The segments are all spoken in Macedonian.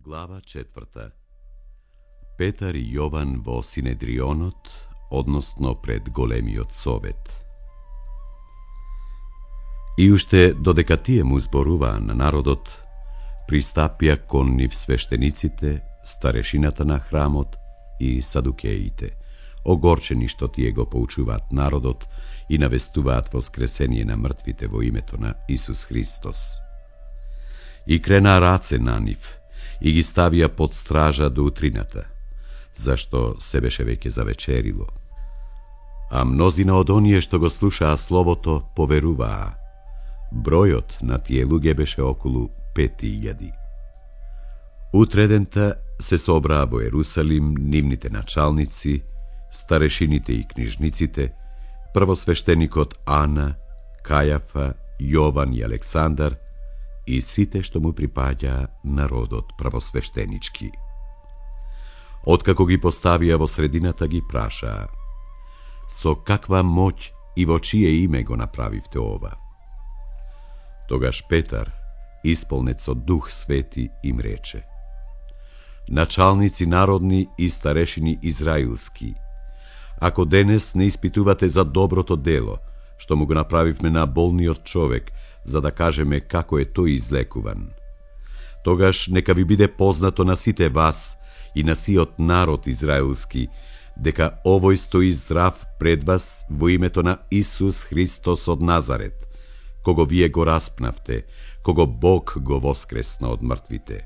Глава 4. Петар и Јован во Синедрионот, односно пред големиот совет. И уште додека тие му зборуваа на народот, пристапија кон нив свештениците, старешината на храмот и садукеите, огорчени што тие го поучуваат народот и навестуваат воскресение на мртвите во името на Исус Христос. И крена раце на нив и ги ставија под стража до утрината, зашто се беше веќе завечерило. А мнозина од оние што го слушаа словото поверуваа. Бројот на тие луѓе беше околу 5000. Утредента се собраа во Ерусалим нивните началници, старешините и книжниците, првосвештеникот Ана, Кајафа, Јован и Александар и сите што му припаѓа народот првосвештенички. Откако ги поставија во средината, ги прашаа: со каква моќ и во чие име го направивте ова? Тогаш Петар, исполнет со Дух Свети, им рече: началници народни и старешини израилски, ако денес не испитувате за доброто дело, што му го направивме на болниот човек, за да кажеме како е тој излекуван, тогаш нека ви биде познато на сите вас и на сиот народ израилски, дека овој стои здрав пред вас во името на Исус Христос од Назарет, кого вие го распнавте, кого Бог го воскресна од мртвите.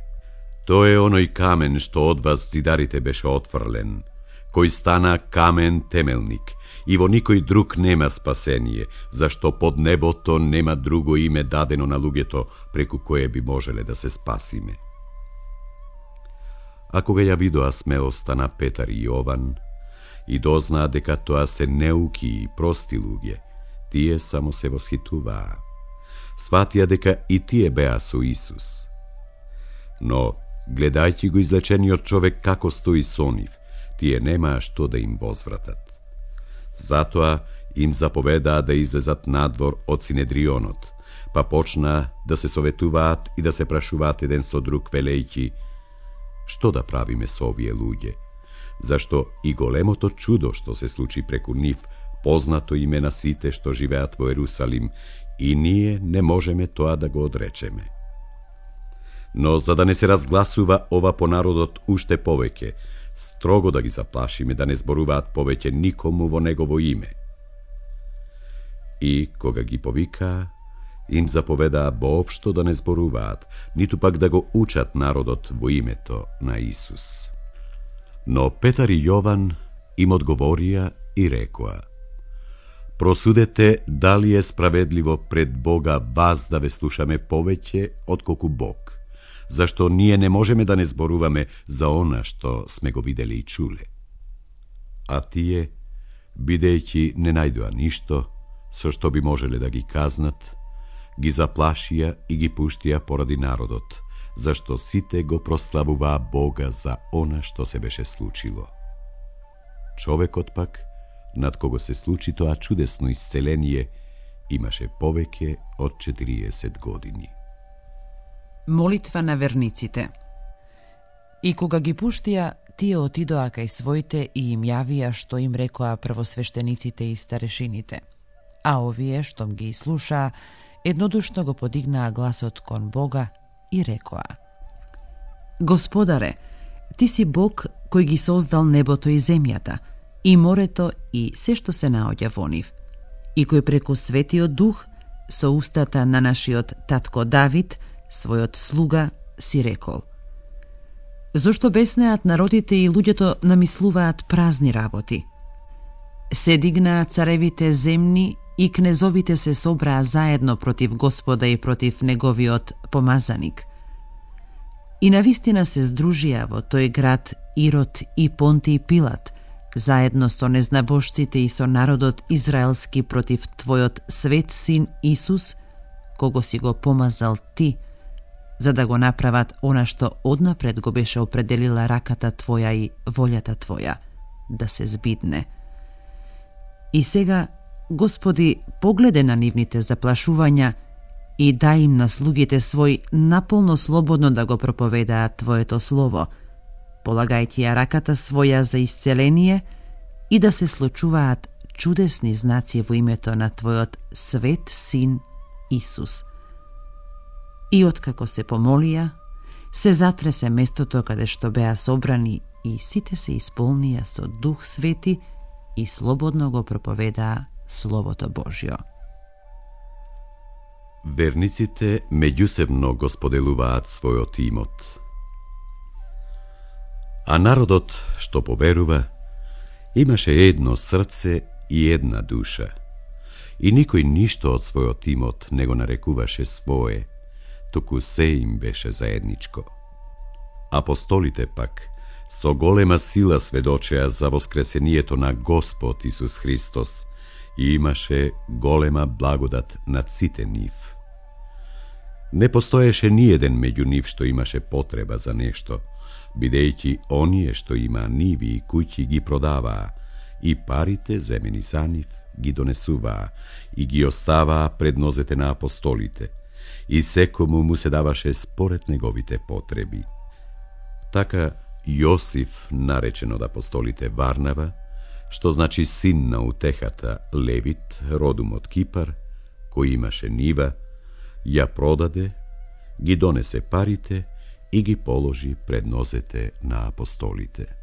Тој е оној камен што од вас зидарите беше отфрлен, кој стана камен темелник, и во никој друг нема спасение, зашто под небото нема друго име дадено на луѓето преку кое би можеле да се спасиме. А кога ја видоа смелоста на Петар и Јован и дознаа дека тоа се неуки и прости луѓе, тие само се восхитуваа. Сватија дека и тие беа со Исус. Но, гледајќи го излечениот човек како стои со нив, тие немаа што да им возвратат. Затоа им заповедаа да излезат надвор од Синедрионот, па почнаа да се советуваат и да се прашуваат еден со друг, велејќи: што да правиме со овие луѓе? Зашто и големото чудо што се случи преку нив, познато име на сите што живеат во Ерусалим, и ние не можеме тоа да го одречеме. Но за да не се разгласува ова по народот уште повеќе, строго да ги заплашиме да не зборуваат повеќе никому во негово име. И кога ги повикаа, им заповедаа воопшто да не зборуваат, ниту пак да го учат народот во името на Исус. Но Петар и Јован им одговорија и рекоа: просудете дали е справедливо пред Бога вас да ве слушаме повеќе отколку Бог, зашто ние не можеме да не зборуваме за она што сме го виделе и чуле. А тие, бидејќи не најдоа ништо со што би можеле да ги казнат, ги заплашија и ги пуштија поради народот, зашто сите го прославуваа Бога за она што се беше случило. Човекот пак, над кого се случи тоа чудесно исцеление, имаше повеќе од 40 години. Молитва на верниците. И кога ги пуштија, тие отидоа кај своите и им јавија што им рекоа првосвештениците и старешините. А овие, штом ги слушаа, еднодушно го подигнаа гласот кон Бога и рекоа: Господаре, ти си Бог кој ги создал небото и земјата, и морето и се што се наоѓа во нив, и кој преку Светиот Дух со устата на нашиот татко Давид, својот слуга, си рекол: зошто беснеат народите и луѓето намислуваат празни работи? Се дигнаа царевите земни и кнезовите се собраа заедно против Господа и против неговиот помазаник. И навистина се здружија во тој град Ирод и Понти и Пилат, заедно со незнабожците и со народот израелски против твојот свет син Исус, кого си го помазал ти, за да го направат она што однапред го беше определила раката твоја и волјата твоја, да се збидне. И сега, Господи, погледе на нивните заплашувања и дај им на слугите свој наполно слободно да го проповедаат Твоето слово, полагајќи ја раката своја за исцеление и да се случуваат чудесни знаци во името на Твојот свет Син Исус. И откако се помолија, се затресе местото каде што беа собрани и сите се исполнија со Дух Свети и слободно го проповедаа Словото Божјо. Верниците меѓусебно го споделуваат својот имот. А народот што поверува имаше едно срце и една душа, и никој ништо од својот имот не го нарекуваше свое, туку се им беше заедничко. Апостолите пак со голема сила сведочеа за воскресението на Господ Исус Христос и имаше голема благодат над сите нив. Не постоеше ниеден меѓу нив што имаше потреба за нешто, бидејќи оние што има ниви и куќи ги продаваа, и парите земени за нив ги донесуваа и ги оставаа пред нозете на апостолите, и секому му се даваше според неговите потреби. Така Јосиф, наречен од апостолите Варнава, што значи син на утехата, Левит, родум од Кипар, кој имаше нива, ја продаде, ги донесе парите и ги положи пред нозете на апостолите.